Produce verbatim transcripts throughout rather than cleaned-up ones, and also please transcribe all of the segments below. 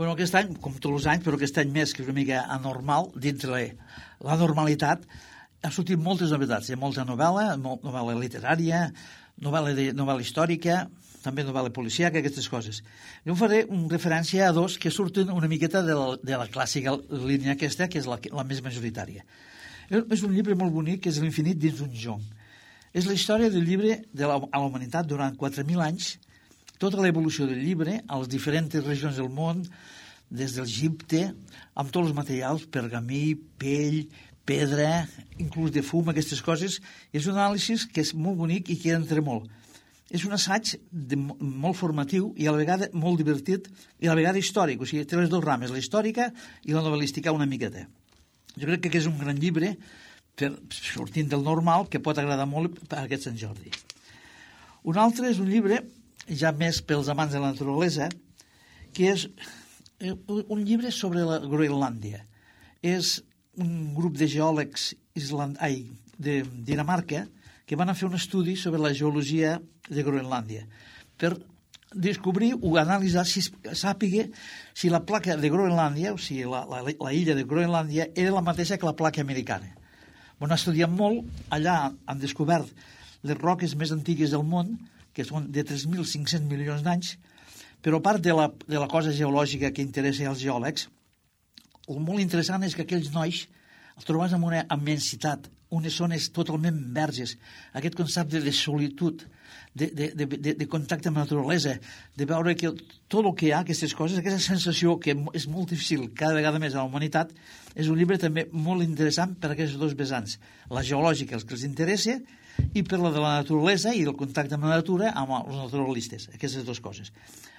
Bueno, aquest any, com tots els anys, però aquest any més, que és una mica anormal, dintre la, la normalitat, ha sortit moltes novetats. Hi ha molta novel·la, novel·la literària, novel·la, de, novel·la històrica, també novel·la policíaca, aquestes coses. Jo faré una referència a dos que surten una miqueta de la, de la clàssica línia aquesta, que és la, la més majoritària. És un llibre molt bonic, que és L'infinit dins d'un jonc. És la història del llibre de la, a la humanitat durant quatre mil anys, tota l'evolució del llibre a les diferents regions del món, des de l'Egipte, amb tots els materials, pergamí, pell, pedra, inclús de fum, aquestes coses. És un anàlisi que és molt bonic i que entra molt. És un assaig de, molt formatiu i a la vegada molt divertit i a la vegada històric. O sigui, té les dues rames, la històrica i la novel·lística una miqueta. Jo crec que és un gran llibre, per, sortint del normal, que pot agradar molt per aquest Sant Jordi. Un altre és un llibre, ja més pels amants de la naturalesa, que és un llibre sobre la Groenlàndia. És un grup de geòlegs island... Ai, de Dinamarca que van a fer un estudi sobre la geologia de Groenlàndia per descobrir o analitzar, si sàpiga si la placa de Groenlàndia, o sigui, la, la, la illa de Groenlàndia, era la mateixa que la placa americana. On han estudiat molt, allà han descobert les roques més antigues del món, que són de tres mil cinc-cents milions d'anys, però a part de la, de la cosa geològica que interessa als geòlegs, el molt interessant és que aquells nois els trobes amb una immensitat, unes zones totalment verges, aquest concepte de solitud, de, de, de, de, de contacte amb la naturalesa, de veure que tot el que hi ha, aquestes coses, aquesta sensació que és molt difícil cada vegada més a la humanitat, és un llibre també molt interessant per a aquests dos vessants, la geològica, els que els interessa, i per la de la naturalesa i el contacte amb la natura amb els naturalistes, aquestes dues coses.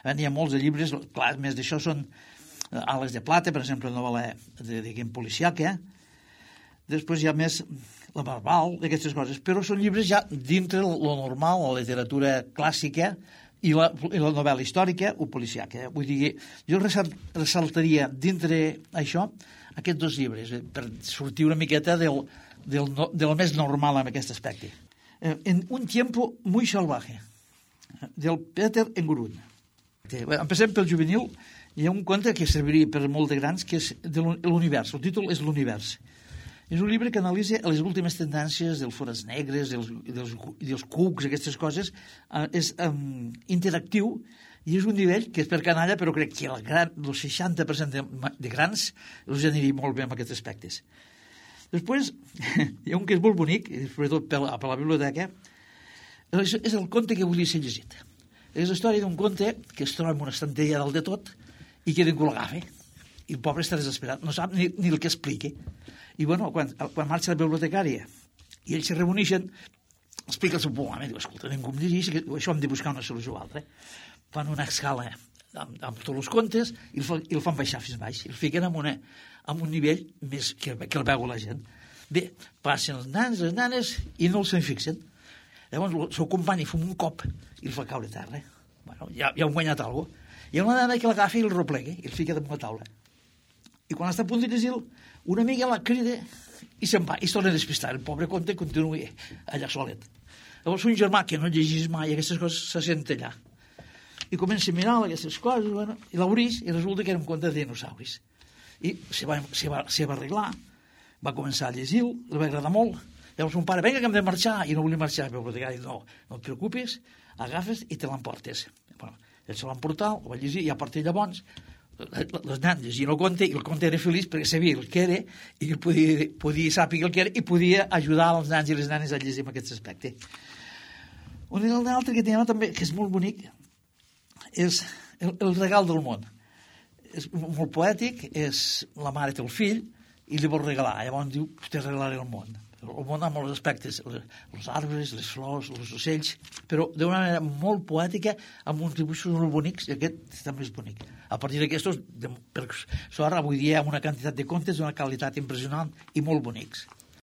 N'hi ha molts de llibres, clar, més d'això són Ales de Plata, per exemple, novel·la de, de game policiaca. Després hi ha més la Barbal, d'aquestes coses, però són llibres ja dintre lo normal, la literatura clàssica i la, i la novel·la històrica o policiaca. Vull dir, jo ressaltaria dintre això aquests dos llibres, per sortir una miqueta del, del, del més normal en aquest aspecte. En un tiempo muy salvaje, del Peter Engurun. Empecem pel juvenil. Hi ha un conte que serviria per molt de grans, que és de l'univers. El títol és L'univers. És un llibre que analitza les últimes tendències dels forats negres, dels, dels, dels cucs, aquestes coses. Eh, és um, interactiu i és un nivell que és per canalla, però crec que el, gran, el seixanta per cent de, de grans els aniria molt bé amb aquests aspectes. Després, hi ha un que és molt bonic, sobretot per la, per la biblioteca, és, és el conte que volia ser llegit. És la història d'un conte que es troba en una estanteria dalt de tot i que ningú l'agafa. I el pobre està desesperat, no sap ni, ni el que expliqui. I bueno, quan, quan marxa la bibliotecària i ells se reuneixen, explica el seu problema, diu, escolta, ningú em dirigeix, això hem de buscar una solució o altra. Fan una escala amb, amb tots els contes i el, fan, i el fan baixar fins baix, i el fiquen en, una, en un nivell més que, que el veu la gent. Bé, passen els nans, les nanes, i no els se'n fixen. Llavors el seu company fum un cop i el fa caure a terra. Bueno, ja, ja han guanyat alguna cosa. Hi ha una nana que l'agafa i el replega i el fica damunt la taula. I quan està a punt de llegir-lo, una amiga la crida i se'n va, i es torna a despistar. El pobre conte continua allà solet. Llavors un germà que no llegís mai aquestes coses se sent allà. I comença a mirar aquestes coses, bueno, i l'obrís, i resulta que era un conte de dinosauris. I se va, se va, se va arreglar, va començar a llegir-lo, li va agradar molt. Llavors un pare, vinga que hem de marxar, i no volia marxar, però no, no et preocupis, agafes i te l'emportes. Bueno, ell se l'emportar, ho va llegir, i a partir de llavors les nans llegien el conte, i el conte era feliç perquè sabia el que era, i que podia, podia saber el que era, i podia ajudar els nans i les nanes a llegir en aquest aspecte. Un altre que tenim també, que és molt bonic, és el, el regal del món. És molt poètic, és la mare té el fill, i li vol regalar. Llavors diu, te regalaré el món. El món amb molts aspectes, els arbres, les flors, els ocells, però d'una manera molt poètica, amb uns dibuixos molt bonics, i aquest també és bonic. A partir d'aquestos, per sort, avui dia, amb una quantitat de contes d'una qualitat impressionant i molt bonics.